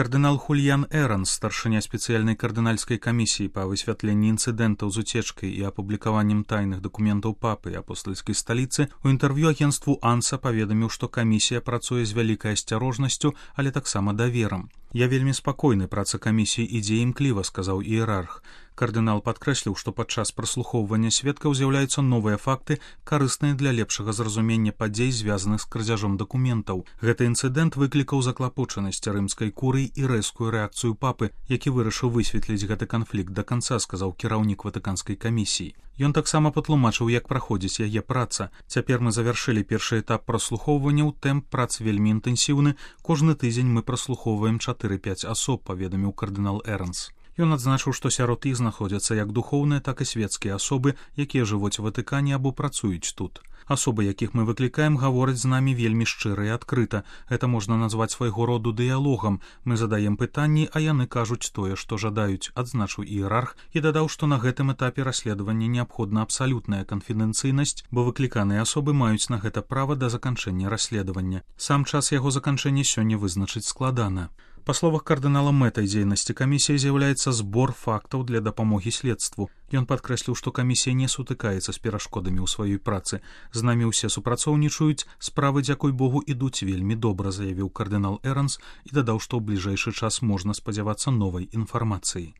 Кардынал Хульян Эранс, старшыня спецыяльнай кардынальскай камісіі па высвятленні інцыдэнтаў з уцечкай і апублікаваннем тайных дакументаў папы і апостальскай сталіцы, у інтэрв'ю агенству АНСА паведаміў, што камісія працуе з вялікай асцярожнасцю, але таксама даверам. «Я вельмі спакойны, праца камісіі ідзе імкліва», — сказаў іерарх. Кардынал падкрэсліў, што падчас праслухоўвання сведкаў з'яўляюцца новыя факты, карысныя для лепшага зразумення падзей, звязаных з крадзяжом дакументаў. Гэты інцыдэнт выклікаў заклапочанасць рымскай курыі і рэзкую рэакцыю папы, які вырашыў высветліць гэты канфлікт да канца, сказаў кіраўнік ватыканскай камісіі. Ён таксама патлумачыў, як праходзіць яе праца. «Цяпер мы завяршылі першы этап праслухоўванняў, тэмп прац вельмі інтэнсіўны. Кожны тыдзень мы праслухоўваем 4-5 асоб», — паведаміў кардынал Эранс. Ён адзначыў, што сярод іх знаходзяцца як духоўныя, так і светскія асобы, якія жывуць у Ватыкане або працуюць тут. Асобы, якіх мы выклікаем, гавораць з намі вельмі шчыра і адкрыта. Гэта можна назваць свайго роду дыялогам. Мы задаем пытанні, а яны кажуць тое, што жадаюць, адзначыў іерарх і дадаў, што на гэтым этапе расследавання неабходна абсалютная канфідэнцыйнасць, бо выкліканыя асобы маюць на гэта права да заканчэння расследавання. Сам час яго заканчэння сёння вызначыць складана. Па словах кардынала, мэтай дзейнасці камісіі з'яўляецца збор фактаў для дапамогі следству. Ён падкрэсліў, што камісія не сутыкаецца з перашкодамі ў сваёй працы. «З намі ўсе супрацоўнічаюць, справы, дзякуй Богу, ідуць вельмі добра», — заявіў кардынал Эранс і дадаў, што ў бліжэйшы час можна спадзявацца новай інфармацыі.